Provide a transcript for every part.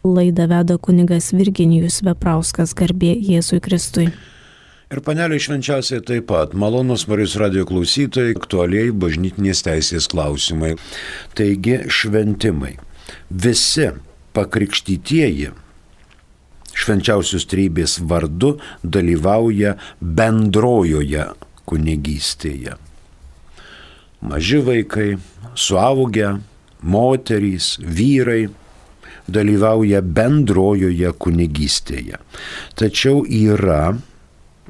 Laidą veda kunigas Virginijus Veprauskas, garbė Jėzui Kristui. Ir panelė švenčiausiai taip pat, malonus Marijos radijo klausytojai, aktualiai bažnytinės teisės klausimai. Taigi šventimai. Visi pakrikštytieji švenčiausios trejybės vardu dalyvauja bendrojoje kunigystėje. Maži vaikai, suaugę, moterys, vyrai dalyvauja bendrojoje kunigystėje. Tačiau yra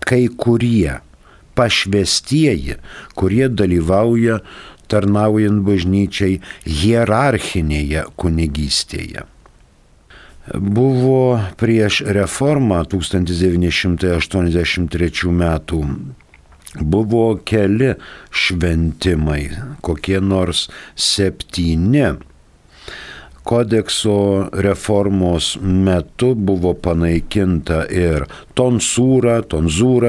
kai kurie pašvestieji, kurie dalyvauja tarnaujant bažnyčiai hierarchinėje kunigystėje. Buvo prieš reformą 1983 metų, buvo keli šventimai, kokie nors 7. Kodekso reformos metu buvo panaikinta ir tonzūra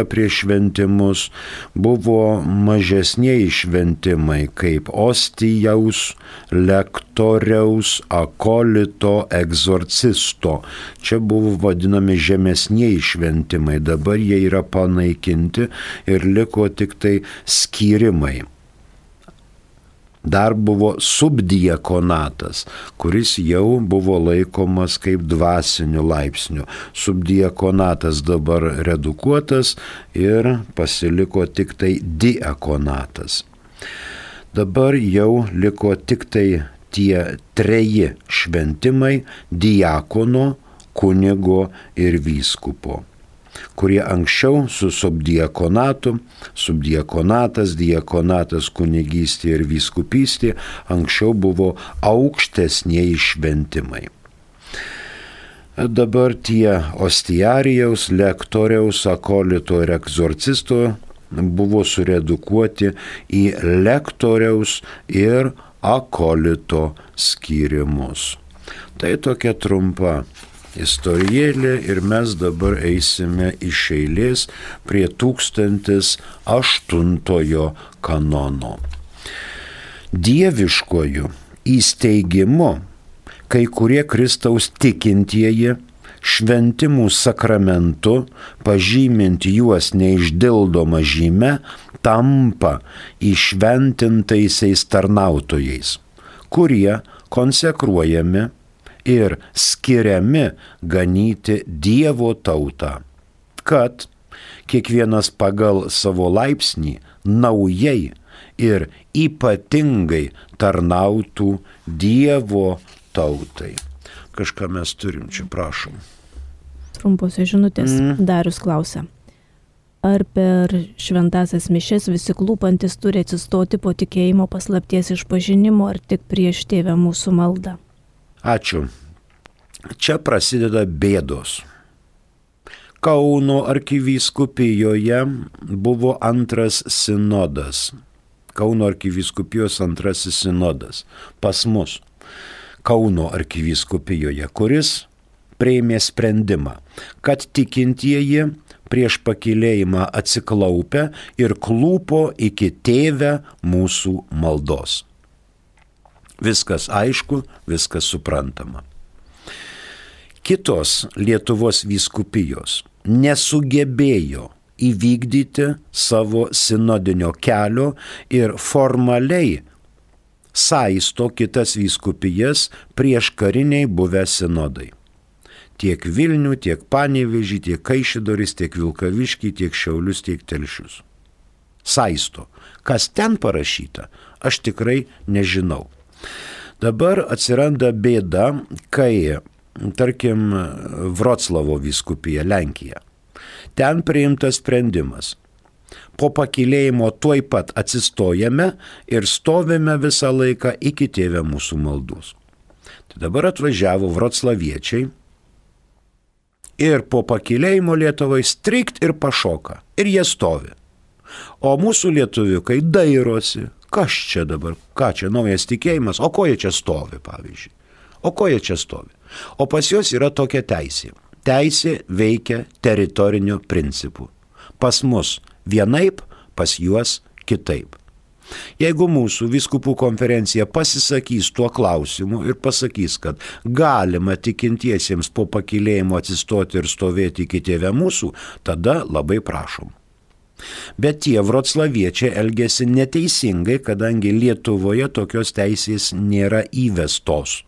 prieš šventimus, buvo mažesnieji šventimai kaip ostijaus, lektoriaus, akolito, egzorcisto. Čia buvo vadinami žemesnieji šventimai, dabar jie yra panaikinti ir liko tik tai skyrimai. Dar buvo subdiakonatas, kuris jau buvo laikomas kaip dvasiniu laipsniu. Subdiakonatas dabar redukuotas ir pasiliko tik tai diakonatas. Dabar jau liko tik tai tie 3 šventimai diakono, kunigo ir vyskupo, kurie anksčiau su subdiakonatu, subdiakonatas, diakonatas, kunigystė ir vyskupystė, anksčiau buvo aukštesnieji šventimai. Dabar tie ostiarijaus, lektoriaus, akolito ir egzorcisto buvo suredukuoti į lektoriaus ir akolito skyrimus. Tai tokia trumpa istorijėlė ir mes dabar eisime iš eilės prie 1008 kanono. Dieviškojų įsteigimu kai kurie Kristaus tikintieji šventimų sakramentu, pažymint juos neišdildoma žyme, tampa įšventintaisiais tarnautojais, kurie konsekruojami ir skiriami ganyti Dievo tautą, kad kiekvienas pagal savo laipsnį naujai ir ypatingai tarnautų Dievo tautai. Kažką mes turim čia, prašom. Trumposios žinutės. Darius klausia. Ar per šventasias mišes visi klūpantis turi atsistoti po tikėjimo paslapties išpažinimo, ar tik prieš Tėvę mūsų maldą? Ačiū. Čia prasideda bėdos. Kauno arkivyskupijoje buvo antras sinodas. Kauno arkivyskupijos antrasis sinodas. Pas mus. Kauno arkivyskupijoje, kuris priėmė sprendimą, kad tikintieji prieš pakylėjimą atsiklaupę ir klūpo iki Tėvę mūsų maldos. Viskas aišku, viskas suprantama. Kitos Lietuvos vyskupijos nesugebėjo įvykdyti savo sinodinio kelio ir formaliai saisto kitas vyskupijas prieš kariniai buvę sinodai. Tiek Vilnių, tiek Panevėžį, tiek Kaišiadorys, tiek Vilkaviškį, tiek Šiaulius, tiek Telšius. Saisto. Kas ten parašyta, aš tikrai nežinau. Dabar atsiranda bėda, kai, tarkim, Vroclavo vyskupija, Lenkija. Ten priimtas sprendimas. Po pakylėjimo tuoj pat atsistojame ir stovime visą laiką iki Tėvę mūsų maldos. Tai dabar atvažiavo vroclaviečiai ir po pakylėjimo Lietuvai strikt ir pašoka. Ir jie stovi. O mūsų lietuviukai dairosi. Kas čia dabar? Ką čia naujas tikėjimas? O ko jie čia stovi, pavyzdžiui? O ko jie čia stovi? O pas juos yra tokia teisė. Teisė veikia teritoriniu principu. Pas mus vienaip, pas juos kitaip. Jeigu mūsų vyskupų konferencija pasisakys tuo klausimu ir pasakys, kad galima tikintiesiems po pakylėjimo atsistoti ir stovėti iki Tėve mūsų, tada labai prašom. Bet tie vroclaviečiai elgėsi neteisingai, kadangi Lietuvoje tokios teisės nėra įvestos.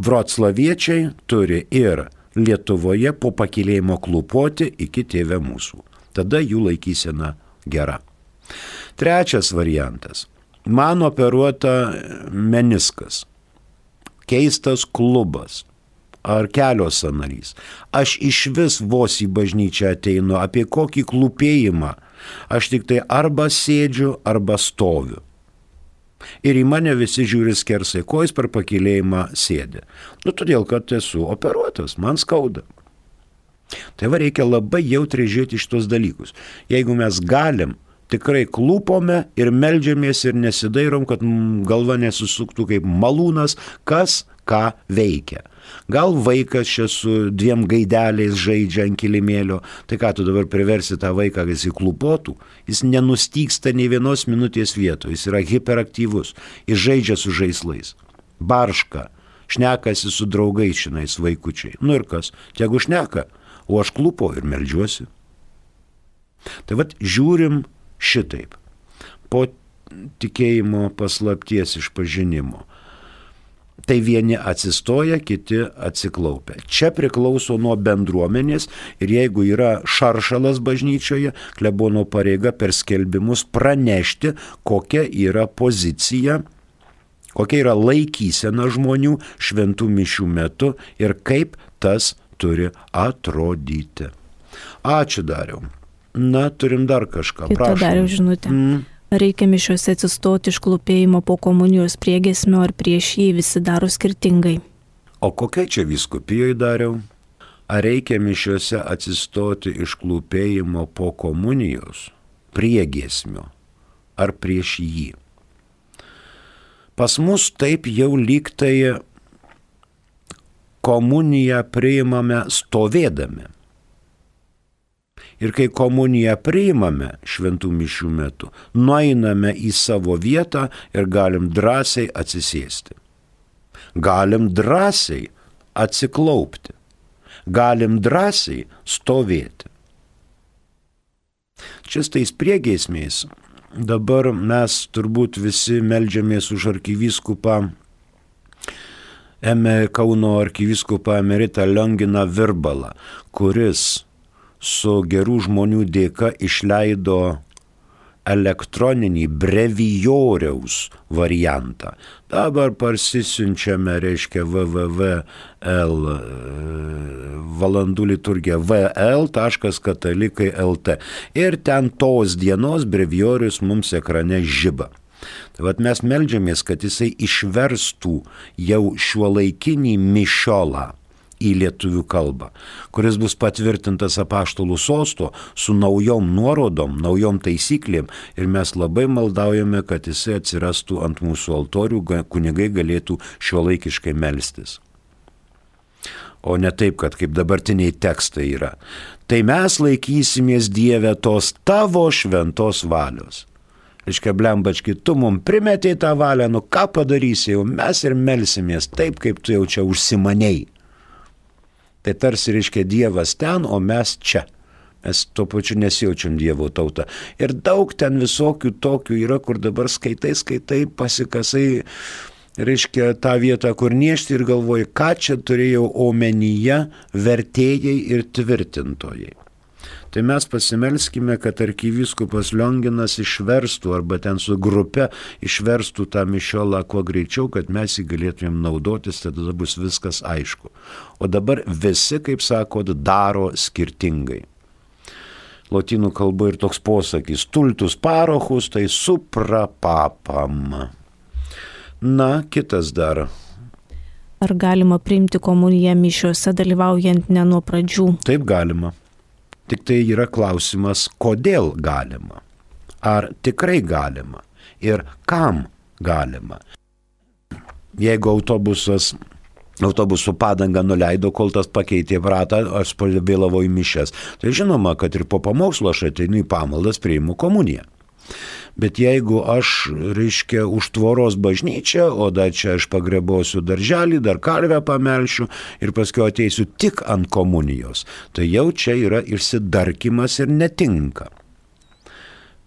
Vroclaviečiai turi ir Lietuvoje po pakylėjimo klūpoti iki Tėve mūsų. Tada jų laikysena gera. Trečias variantas. Man operuota meniskas, keistas klubas ar kelio sąnarys. Aš išvis vos į bažnyčią ateinu, apie kokį klūpėjimą. Aš tik tai arba sėdžiu, arba stoviu. Ir į mane visi žiūri skersai, ko jis per pakylėjimą sėdi. Todėl, kad esu operuotas, man skauda. Tai reikia labai jautriai žiūrėti šitos dalykus. Jeigu mes galim, tikrai klūpome ir meldžiamės ir nesidairom, kad galva nesusuktų kaip malūnas, kas ką veikia. Gal vaikas čia su 2 gaideliais žaidžia ant kilimėlio, tai ką tu dabar priversi tą vaiką, kad jis įklūpotų? Jis nenustygsta nei vienos minutės vietoje, jis yra hiperaktyvus, jis žaidžia su žaislais, barška, šnekasi su draugais šinais vaikučiai. Ir kas, tegu šneka, o aš klūpo ir meldžiuosi. Tai žiūrim šitaip, po tikėjimo paslapties išpažinimo. Tai vieni atsistoja, kiti atsiklaupia. Čia priklauso nuo bendruomenės ir jeigu yra šaršalas bažnyčioje, klebono pareiga per skelbimus pranešti, kokia yra pozicija, kokia yra laikysena žmonių šventų mišių metu ir kaip tas turi atrodyti. Ačiū, Dariau. Turim dar kažką. Kita Dariau žinutė. Reikia mišiuose atsistoti iš klūpėjimo po komunijos priegiesmio ar prieš jį, visi daro skirtingai. O kokia čia vyskupijoje, Dariau? Ar reikia mišiuose atsistoti iš klūpėjimo po komunijos priegiesmio ar prieš jį? Pas mus taip jau lyg tai komuniją priimame stovėdami. Ir kai komuniją priimame šventų mišių metu, nueiname į savo vietą ir galim drąsiai atsisėsti. Galim drąsiai atsiklaupti. Galim drąsiai stovėti. Čia tais priegiesmiais dabar mes turbūt visi meldžiamės už arkivyskupą, Kauno arkivyskupą emeritą Lionginą Virbalą, kuris su gerų žmonių dėka išleido elektroninį brevijoriaus variantą. Dabar parsisiunčiame, reiškia, www.l valandų liturgija vl.katalikai.lt ir ten tos dienos brevijorius mums ekrane žiba. Tai mes meldžiamės, kad jisai išverstų jau šiuolaikinį mišiolą į lietuvių kalbą, kuris bus patvirtintas apaštalų sosto su naujom nuorodom, naujom taisyklėm ir mes labai maldaujame, kad jisai atsirastų ant mūsų altorių, kunigai galėtų šiuolaikiškai melstis. O ne taip, kad kaip dabartiniai tekstai yra. Tai mes laikysimės, Dieve, tos tavo šventos valios. Reiškia, blembački, tu mums primetei tą valią, ką padarysi, jau mes ir melsimės taip, kaip tu jau čia užsimanei. Tai tarsi, reiškia, Dievas ten, o mes čia. Mes tuo pačiu nesijaučiam Dievo tauta. Ir daug ten visokių tokių yra, kur dabar skaitai, pasikasai, reiškia, tą vietą, kur niešti ir galvoji, ką čia turėjau omenyje vertėjai ir tvirtintojai. Tai mes pasimelskime, kad arkivyskupas Lionginas išverstų arba ten su grupe išverstų tą mišiolą kuo greičiau, kad mes jį galėtumėm naudotis, tada bus viskas aišku. O dabar visi, kaip sako, daro skirtingai. Lotynų kalba ir toks posakis, stultus parochus, tai supra papam. Kitas dar. Ar galima priimti komuniją mišiuose dalyvaujant ne nuo pradžių? Taip galima. Tik tai yra klausimas, kodėl galima, ar tikrai galima ir kam galima. Jeigu autobusų padangą nuleido, kol tas pakeitė ratą, aš vėlavau į mišias, tai žinoma, kad ir po pamokslo aš ateinu į pamaldas, priimu komuniją. Bet jeigu aš, reiškia, už tvoros bažnyčią, o dar čia aš pagrebosiu darželį, dar karvę pamelšiu ir paskui ateisiu tik ant komunijos, tai jau čia yra išsidarkimas ir netinka.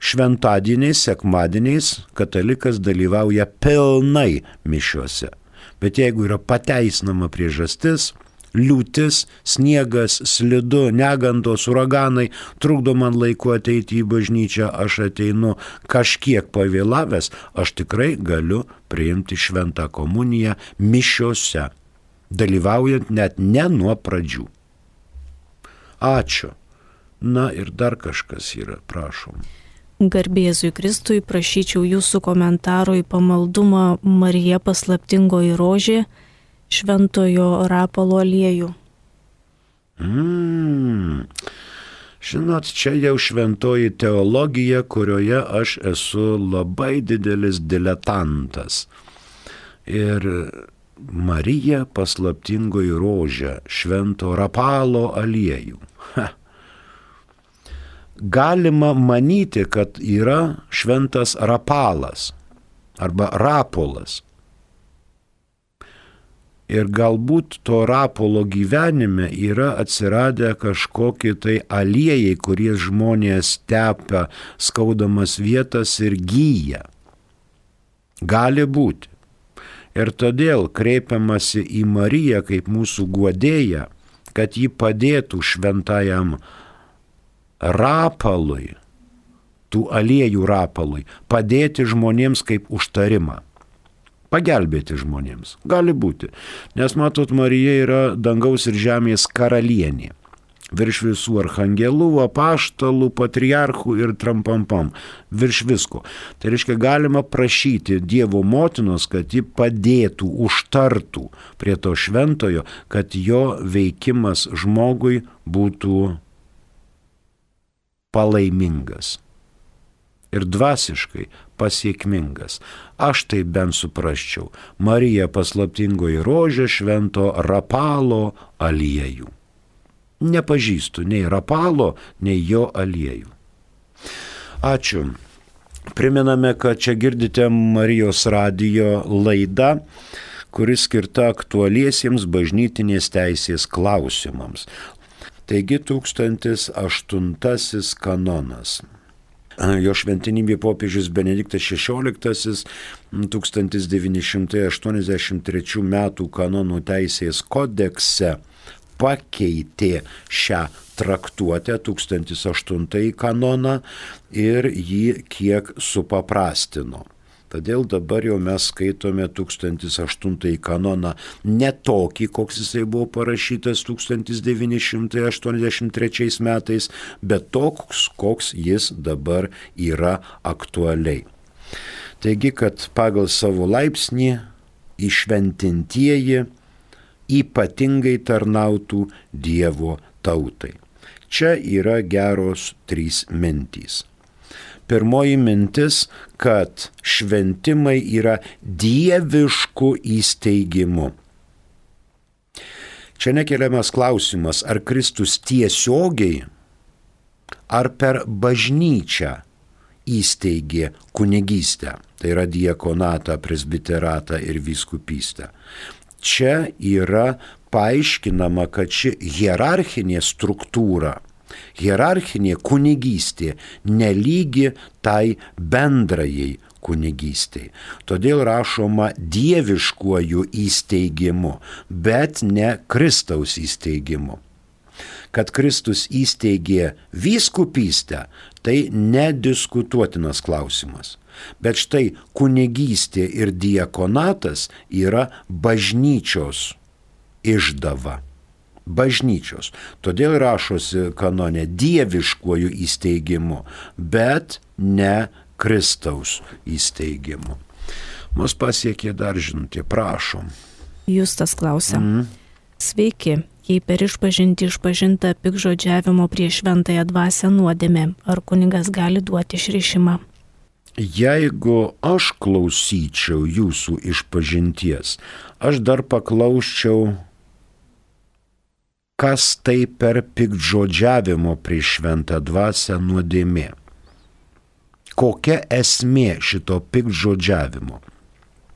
Šventadieniais, sekmadieniais katalikas dalyvauja pilnai mišiuose. Bet jeigu yra pateisinama priežastis, liūtis, sniegas, slidu, negandos, uraganai, trukdo man laiku ateiti į bažnyčią, aš ateinu kažkiek pavėlavęs, aš tikrai galiu priimti šventą komuniją mišiuose, dalyvaujant net ne nuo pradžių. Ačiū. Na ir dar kažkas yra, prašom. Garbėzui Kristui, prašyčiau jūsų komentaro į pamaldumą Marija paslaptingoji rožė, Šventojo Rapalo aliejų. Žinot, čia jau šventoji teologija, kurioje aš esu labai didelis diletantas. Ir Marija paslaptingoji rožė, Švento Rapalo aliejų. Galima manyti, kad yra šventas Rapalas arba Rapolas. Ir galbūt to Rapolo gyvenime yra atsiradę kažkokie tai aliejai, kurie žmonės tepia skaudamas vietas ir gyja. Gali būti. Ir todėl kreipiamasi į Mariją kaip mūsų guodėją, kad ji padėtų šventajam Rapalui, tų aliejų Rapalui, padėti žmonėms kaip užtarimą. Pagelbėti žmonėms. Gali būti. Nes matot, Marija yra dangaus ir žemės karalienė. Virš visų archangelų, apaštalų, patriarchų ir trampampam. Virš visko. Tai reiškia, galima prašyti Dievo motinos, kad ji padėtų, užtartų prie to šventojo, kad jo veikimas žmogui būtų palaimingas ir dvasiškai pasiekmingas. Aš tai bent suprasčiau. Marija paslaptingoji rožė, Švento Rapalo aliejų. Nepažįstu nei Rapalo, nei jo aliejų. Ačiū. Priminame, kad čia girdite Marijos radijo laidą, kuri skirta aktualiesiems bažnytinės teisės klausimams. Taigi 1008 kanonas. Jo šventenybė popiežius Benediktas XVI 1983 metų kanonų teisės kodekse pakeitė šią traktuotę 1008 kanoną ir jį kiek supaprastino. Todėl dabar jau mes skaitome 1008 kanoną ne tokį, koks jisai buvo parašytas 1983 metais, bet toks, koks jis dabar yra aktualiai. Taigi, kad pagal savo laipsnį įšventintieji ypatingai tarnautų Dievo tautai. Čia yra geros 3 mintys. Pirmoji mintis, kad šventimai yra dieviškų įsteigimų. Čia nekeliamas klausimas, ar Kristus tiesiogiai, ar per bažnyčią įsteigė kunigystę, tai yra diakonatą, presbiteratą ir vyskupystę. Čia yra paaiškinama, kad ši hierarchinė struktūra, hierarchinė kunigystė nelygi tai bendrajai kunigystei. Todėl rašoma dieviškuoju įsteigimu, bet ne Kristaus įsteigimu. Kad Kristus įsteigė vyskupystę, tai nediskutuotinas klausimas. Bet štai kunigystė ir diakonatas yra bažnyčios išdava. Bažnyčios. Todėl rašosi kanone dieviškuoju įsteigimu, bet ne Kristaus įsteigimu. Mus pasiekė dar žinutė, prašom. Justas klausia. Sveiki, jei per išpažintį išpažinta piktžodžiavimo prieš šventąją dvasią nuodėmė, ar kunigas gali duoti išrišimą? Jeigu aš klausyčiau jūsų išpažinties, aš dar paklausčiau, kas tai per piktžodžiavimo prieš šventą dvasią nuodėmė. Kokia esmė šito piktžodžiavimo?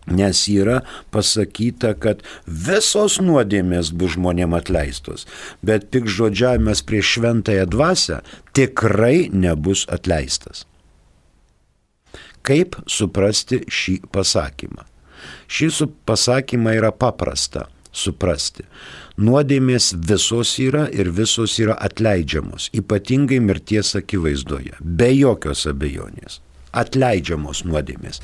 Nes yra pasakyta, kad visos nuodėmės bus žmonėm atleistos, bet piktžodžiavimas prieš šventąją dvasią tikrai nebus atleistas. Kaip suprasti šį pasakymą? Šį pasakymą yra paprasta suprasti. Nuodėmės visos yra ir visos yra atleidžiamos, ypatingai mirties akivaizdoje, be jokios abejonės. Atleidžiamos nuodėmės.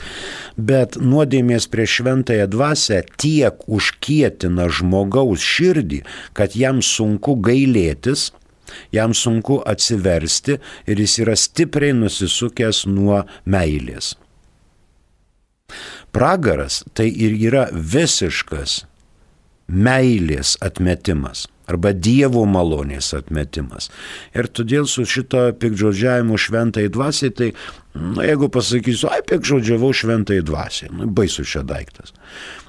Bet nuodėmės prieš šventąją dvasią tiek užkietina žmogaus širdį, kad jam sunku gailėtis, jam sunku atsiversti ir jis yra stipriai nusisukęs nuo meilės. Pragaras tai ir yra visiškas meilės atmetimas arba Dievo malonės atmetimas. Ir todėl su šito piktžodžiavimu šventai dvasiai, tai jeigu pasakysiu, piktžodžiavau šventai dvasiai, baisus čia daiktas.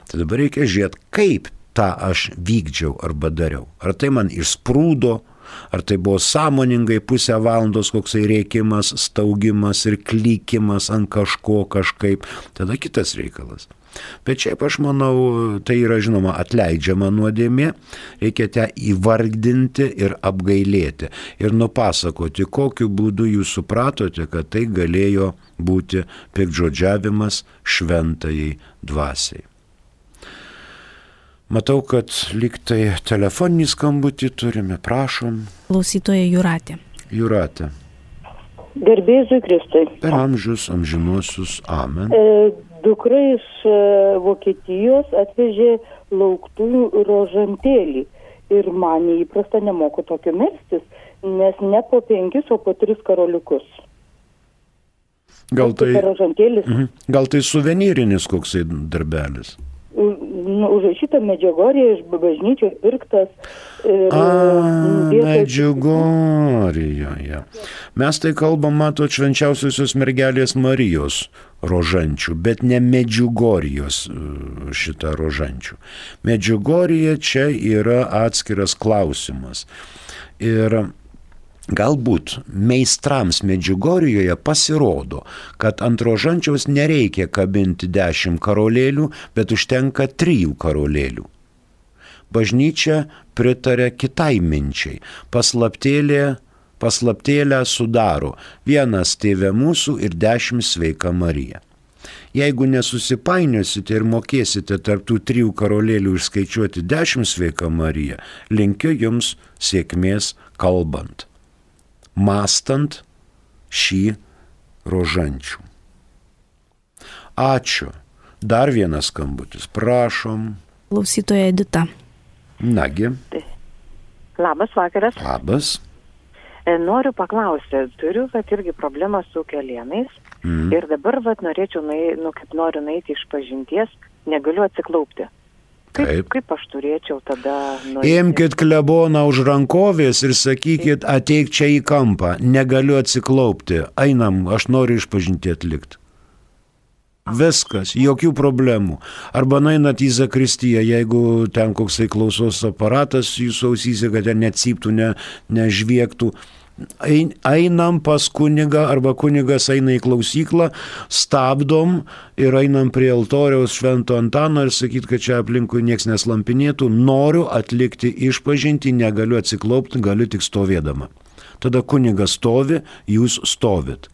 Tai dabar reikia žiūrėti, kaip tą aš vykdžiau arba dariau. Ar tai man išsprūdo, ar tai buvo sąmoningai pusę valandos koksai rėkimas, staugimas ir klykimas ant kažko kažkaip, tada kitas reikalas. Bet šiaip aš manau, tai yra žinoma atleidžiama nuodėmė, reikia ją įvardinti ir apgailėti ir nupasakoti, kokiu būdu jūs supratote, kad tai galėjo būti piktžodžiavimas šventajai dvasiai. Matau, kad lyg tai telefoninį skambutį turime, prašom. Klausytoja Jūratė. Jūratė. Garbė Jėzui Kristui. Per amžius, amžinuosius, amen. Dukra iš Vokietijos atvežė lauktų rožantėlį ir man neįprasta, nemoku tokio melstis, nes ne po 5, o po 3 karoliukus. Gal tai suvenyrinis koksai darbelis? Užrašyta Medžiugorje, iš bažnyčios pirktas. Medžiugorjoje. Mes tai kalbam, matot, švenčiausiosios mergelės Marijos rožančių, bet ne Medžiugorijos šitą rožančių. Medžiugorija čia yra atskiras klausimas. Ir galbūt meistrams Medžiugorijoje pasirodo, kad ant rožančiaus nereikia kabinti 10 karolėlių, bet užtenka 3 karolėlių. Bažnyčia pritarė kitai minčiai. Paslaptėlę sudaro 1 Tėve mūsų ir 10 Sveika Marija. Jeigu nesusipainiosite ir mokėsite tarp tų 3 karolėlių išskaičiuoti 10 Sveika Marija, linkiu jums sėkmės kalbant, mąstant šį rožančių. Ačiū. Dar vienas skambutis. Prašom. Klausytoja Edita. Nagi. Labas vakaras. Labas. Noriu paklausti, turiu irgi problemą su kelienais ir dabar norėčiau, noriu nueiti iš pažinties, negaliu atsiklaupti. Kaip aš turėčiau tada nueiti? Imkit kleboną už rankovės ir sakykit, ateik čia į kampą, negaliu atsiklaupti, einam, aš noriu išpažinti atlikti. Viskas, jokių problemų. Arba nueinat į zakristiją, jeigu ten koksai klausos aparatas jūsų ausyse, kad ten necyptų, nežviektų. Einam pas kunigą arba kunigas eina į klausyklą, stabdom ir einam prie altoriaus Švento Antano ir sakyt, kad čia aplinkui nieks neslampinėtų, noriu atlikti išpažintį, negaliu atsiklaupti, galiu tik stovėdama. Tada kunigas stovi, jūs stovit.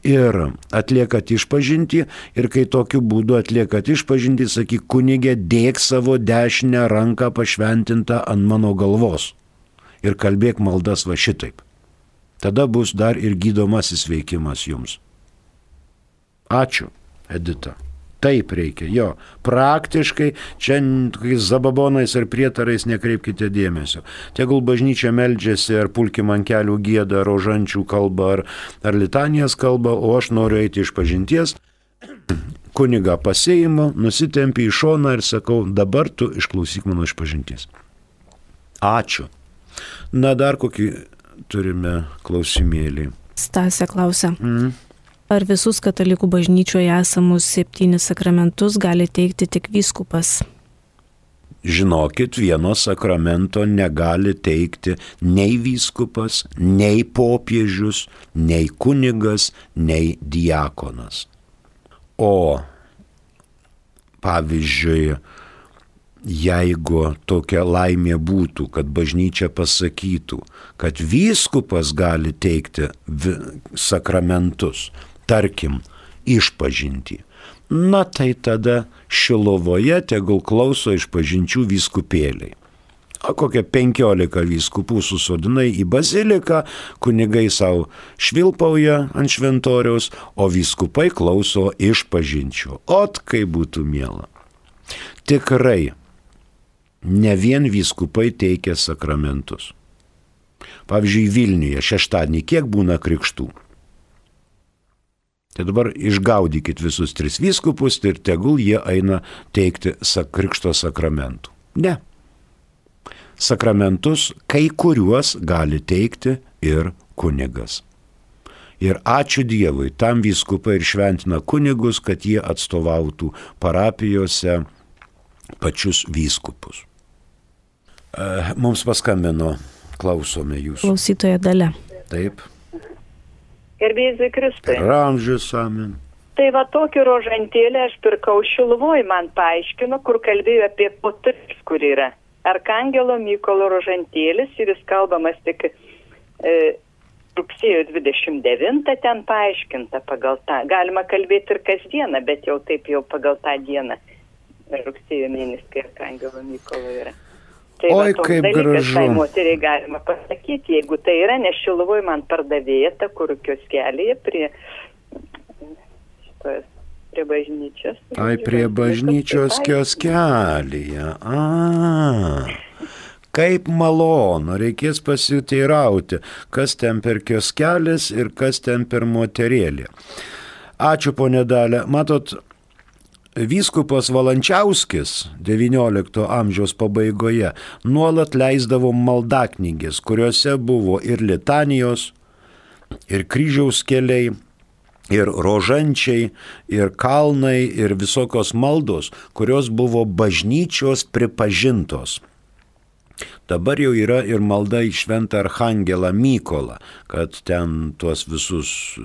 Ir atliekat išpažintį ir kai tokiu būdu atliekat išpažintį, sakyk, kunigė, dėk savo dešinę ranką pašventintą ant mano galvos ir kalbėk maldas va šitaip. Tada bus dar ir gydomasis veikimas jums. Ačiū, Edita. Taip reikia, jo. Praktiškai čia zababonais ar prietarais nekreipkite dėmesio. Tegul bažnyčia meldžiasi ar pulkim ant kelių gieda, rožančių kalba ar litanijas kalba, o aš noriu eiti iš pažinties. Kunigą pasiimu, nusitempi į šoną ir sakau, dabar tu išklausyk mano iš pažinties. Ačiū. Na, dar kokį turime klausimėlį. Stasė klausia. Ar visus katalikų bažnyčioje esamus 7 sakramentus gali teikti tik vyskupas? žinokit, vieno sakramento negali teikti nei vyskupas, nei popiežius, nei kunigas, nei diakonas. O pavyzdžiui, jeigu tokia laimė būtų, kad bažnyčia pasakytų, kad vyskupas gali teikti sakramentus, tarkim, išpažintį, na tai tada Šilovoje tegul klauso išpažinčių vyskupėliai. O kokie 15 vyskupų susodinai į baziliką, kunigai savo švilpauja ant šventoriaus, o vyskupai klauso išpažinčių. Ot, kaip būtų miela. Tikrai, ne vien vyskupai teikia sakramentus. Pavyzdžiui, Vilniuje šeštadienį kiek būna krikštų? Tai dabar išgaudykit visus 3 vyskupus ir tegul jie eina teikti krikšto sakramentų. Ne. Sakramentus kai kuriuos gali teikti ir kunigas. Ir ačiū Dievui, tam vyskupai ir šventina kunigus, kad jie atstovautų parapijose pačius vyskupus. Mums paskambino, klausome jūsų. Klausytoja Dalia. Taip. Gerbėjai Kristai. Ramžius, amen. Tai va tokį rožantėlį aš pirkau Šiluvoj, man paaiškino, kur kalbėjo apie potrius, kur yra. Arkangelo Mykolo rožantėlis ir jis kalbamas tik rugsėjo 29 ten paaiškinta pagal tą. Galima kalbėti ir kasdieną, bet jau taip jau pagal tą dieną. Rugsėjo mėnesį, kai Arkangelo Mykolo yra. Tai oi, va, kaip dalykas, gražu. tai moteriai galima pasakyti, jeigu tai yra, nes Šiluvoj man pardavėja ta, kur kioskelėje prie bažnyčios. Ai, prie bažnyčios kioskelėje. Kaip malonu, reikės pasiteirauti, kas ten per kioskelis ir kas ten per moterėlį. Ačiū, ponė Dalia. Matot, vyskupas Valančiauskis XIX amžiaus pabaigoje nuolat leisdavo maldaknygės, kuriuose buvo ir litanijos, ir kryžiaus keliai, ir rožančiai, ir kalnai, ir visokios maldos, kurios buvo bažnyčios pripažintos. Dabar jau yra ir malda į šventą Arkangelą Mykolą, kad ten tuos visus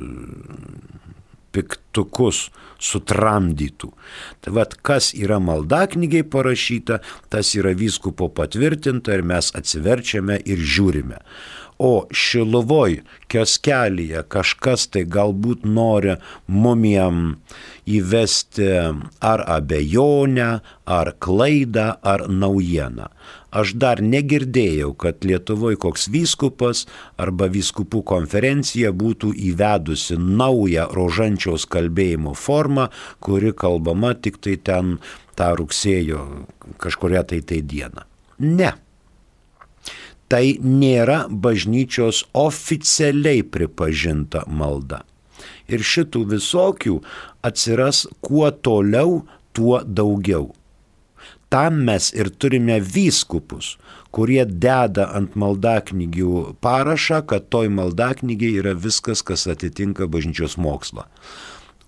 piktukus sutramdytų. Tai vat, kas yra maldaknygiai parašyta, tas yra vyskupo patvirtinta ir mes atsiverčiame ir žiūrime. O Šiluvoj kioskelėje kažkas tai galbūt nori mumiem įvesti ar abejonę, ar klaidą, ar naujieną. Aš dar negirdėjau, kad Lietuvoje koks vyskupas arba vyskupų konferencija būtų įvedusi naują rožančiaus kalbėjimo formą, kuri kalbama tik tai ten tą rugsėjo kažkuria tai dieną. Ne. Tai nėra bažnyčios oficialiai pripažinta malda. Ir šitų visokių atsiras kuo toliau, tuo daugiau. Tam mes ir turime vyskupus, kurie deda ant maldaknygių parašą, kad toj maldaknygiai yra viskas, kas atitinka bažnyčios mokslą.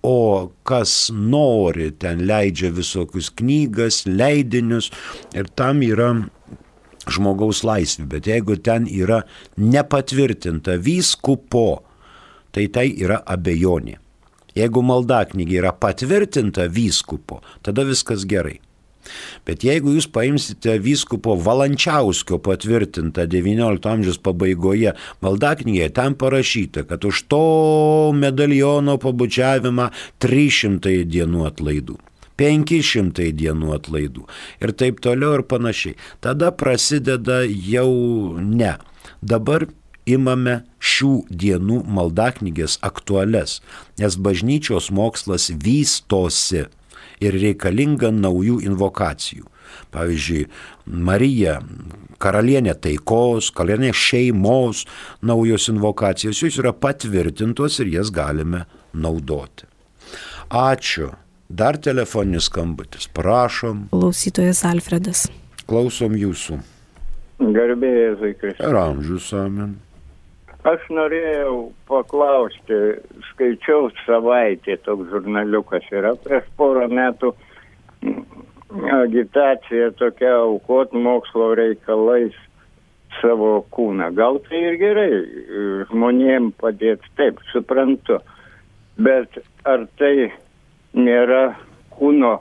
O kas nori, ten leidžia visokius knygas, leidinius ir tam yra žmogaus laisvė. Bet jeigu ten yra nepatvirtinta vyskupo, tai yra abejonė. Jeigu maldaknygiai yra patvirtinta vyskupo, tada viskas gerai. Bet jeigu jūs paimsite vyskupo Valančiauskio patvirtintą XIX amžiaus pabaigoje maldaknygėje, ten parašyta, kad už to medaliono pabučiavimą 300 dienų atlaidų, 500 dienų atlaidų ir taip toliau ir panašiai. Tada prasideda jau ne. Dabar imame šių dienų maldaknygės aktualias, nes bažnyčios mokslas vystosi. Ir reikalinga naujų invokacijų. Pavyzdžiui, Marija, karalienė taikos, karalienė šeimos, naujos invokacijos, jos yra patvirtintos ir jas galime naudoti. Ačiū. Dar telefoninis skambutis. Prašom. Klausytojas Alfredas. Klausom jūsų. Garbėjai Jėzui Kristui. Ir amžius, amen. Aš norėjau paklausti, skaičiau Savaitė, toks žurnaliukas yra, prieš porą metų agitacija tokia aukot mokslo reikalais savo kūną. Gal tai ir gerai žmonėm padėti, taip, suprantu. Bet ar tai nėra kūno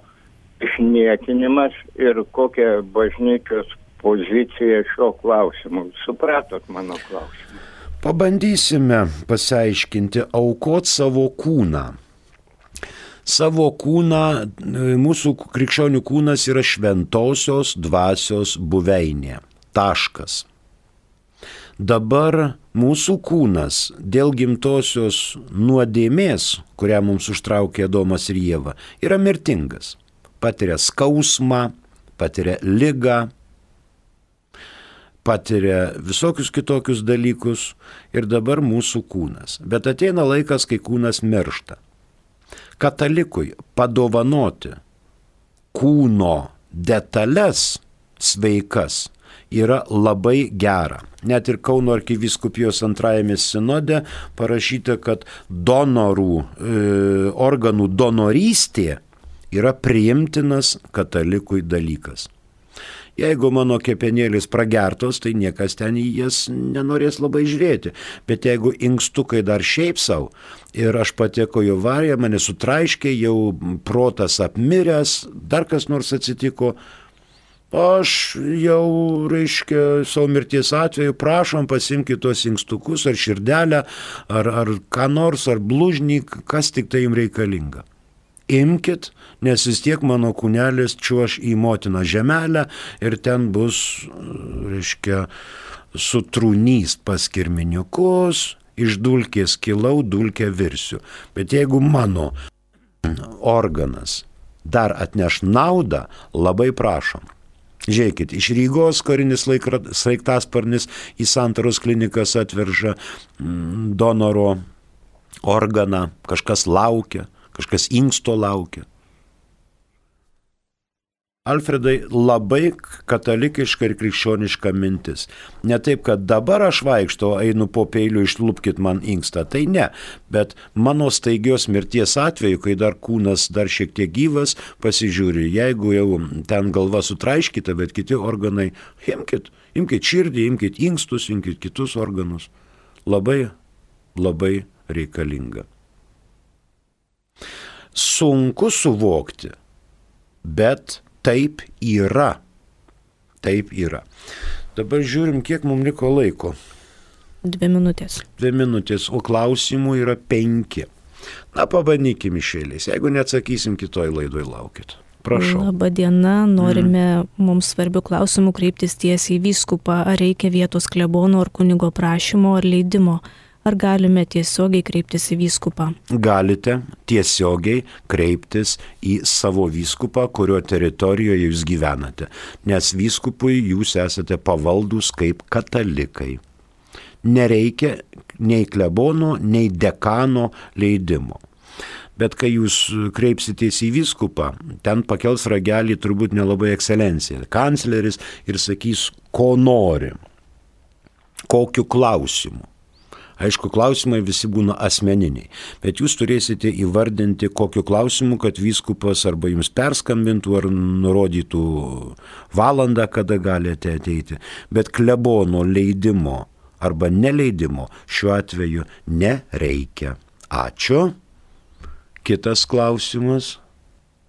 išniekinimas ir kokia bažnyčios pozicija šio klausimu? Supratot mano klausimą? Pabandysime pasiaiškinti, aukot savo kūną. Savo kūną, mūsų krikščionių kūnas yra šventosios dvasios buveinė. Taškas. Dabar mūsų kūnas dėl gimtosios nuodėmės, kurią mums užtraukė Adomas ir Ieva, yra mirtingas. Patiria skausmą, patiria ligą, patiria visokius kitokius dalykus ir dabar mūsų kūnas. Bet ateina laikas, kai kūnas miršta. Katalikui padovanoti kūno detalės sveikas yra labai gera. Net ir Kauno arkivyskupijos antrajame sinode parašyta, kad organų donorystė yra priimtinas katalikui dalykas. Jeigu mano kepenėlis pragertos, tai niekas ten į jas nenorės labai žiūrėti. Bet jeigu inkstukai dar šiaip savo ir aš patekau į avariją, mane sutraiškė, jau protas apmiręs, dar kas nors atsitiko, aš jau, savo mirties atveju, prašom, pasimkite tos inkstukus ar širdelę, ar ką nors, ar blužnį, kas tik tai jums reikalinga. Imkit, nes vis tiek mano kūnelis čiuoš į motiną žemelę ir ten bus, sutrūnys pas kirminiukus, iš dulkės kilau, dulkę virsiu. Bet jeigu mano organas dar atneš naudą, labai prašom. Žiūrėkit, iš Rygos karinis sraigtasparnis į Santaros klinikas atveža donoro organą, kažkas laukia. Kažkas inksto laukia. Alfredai, labai katalikiška ir krikščioniška mintis. Ne taip, kad dabar aš vaikštau, einu po peiliu, išlupkit man inkstą. Tai ne, bet mano staigios mirties atveju, kai dar kūnas dar šiek tiek gyvas, pasižiūri, jeigu jau ten galva sutraiškyta, bet kiti organai, imkit širdį, imkit inkstus, imkit kitus organus. Labai, labai reikalinga. Sunku suvokti, bet taip yra. Taip yra. Dabar žiūrim, kiek mums liko laiko. 2 minutės. 2 minutės, o klausimų yra 5. Na, pabandykim iš eilės. Jeigu neatsakysim, kitoj laidoj laukit. Prašau. Labadiena, norime mums svarbių klausimų kreiptis tiesiai į vyskupą. Ar reikia vietos klebono ar kunigo prašymo ar leidimo? Ar galime tiesiogiai kreiptis į vyskupą? Galite tiesiogiai kreiptis į savo vyskupą, kurio teritorijoje jūs gyvenate, nes vyskupui jūs esate pavaldus kaip katalikai. Nereikia nei klebono, nei dekano leidimo. Bet kai jūs kreipsitės į vyskupą, ten pakels ragelį turbūt nelabai ekscelencija, kancleris ir sakys, ko nori, kokiu klausimu. Aišku, klausimai visi būna asmeniniai, bet jūs turėsite įvardinti kokiu klausimu, kad vyskupas arba jums perskambintų ar nurodytų valandą, kada galite ateiti. Bet klebono leidimo arba neleidimo šiuo atveju nereikia. Ačiū. Kitas klausimas.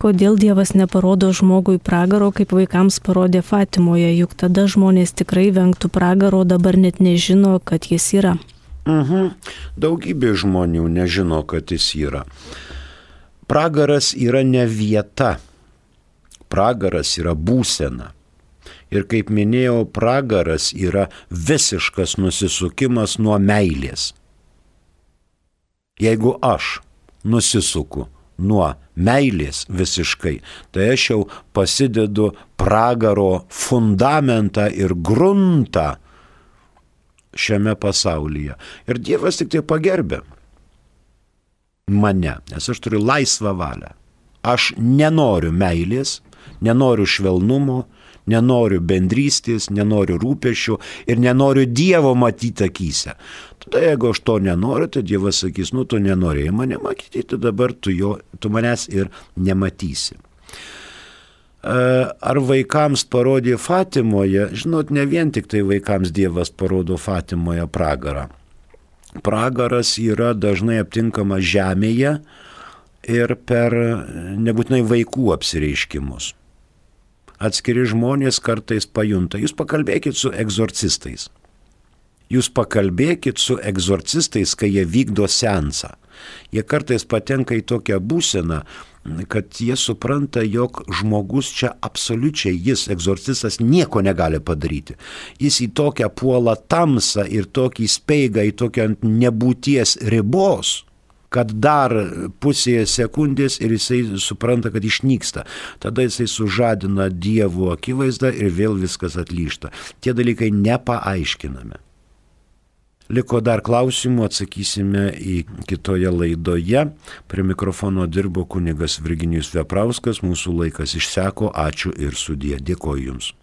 Kodėl Dievas neparodo žmogui pragaro, kaip vaikams parodė Fatimoje, juk tada žmonės tikrai vengtų pragaro, dabar net nežino, kad jis yra. Daugybė žmonių nežino, kad jis yra. Pragaras yra ne vieta. Pragaras yra būsena. Ir kaip minėjau, pragaras yra visiškas nusisukimas nuo meilės. Jeigu aš nusisuku nuo meilės visiškai, tai aš jau pasidedu pragaro fundamentą ir gruntą šiame pasaulyje. Ir Dievas tik tai pagerbė mane, nes aš turiu laisvą valią. Aš nenoriu meilės, nenoriu švelnumo, nenoriu bendrystės, nenoriu rūpesčių ir nenoriu Dievo matyti akyse. Tada jeigu aš to nenoriu, tai Dievas sakys, tu nenorėjai mane matyti, tai dabar tu manęs ir nematysi. ar vaikams parodė Fatimoje, žinot, ne vien tik tai vaikams Dievas parodo Fatimoje pragarą. Pragaras yra dažnai aptinkamas žemėje ir per nebūtinai vaikų apsireiškimus. Atskiri žmonės kartais pajunta. Jūs pakalbėkit su egzorcistais. Jūs pakalbėkit su egzorcistais, kai jie vykdo seansą. Jie kartais patenka į tokią būseną, kad jie supranta, jog žmogus čia absoliučiai, jis, egzorcistas, nieko negali padaryti. Jis į tokią puolą tamsą ir tokį speigą, į tokią nebūties ribos, kad dar pusėje sekundės ir jisai supranta, kad išnyksta. Tada jisai sužadina Dievo akivaizdą ir vėl viskas atlyžta. Tie dalykai nepaaiškinami. Liko dar klausimų, atsakysime į kitoje laidoje. Prie mikrofono dirbo kunigas Virginijus Veprauskas, mūsų laikas išseko, ačiū ir sudie. Dėkoju Jums.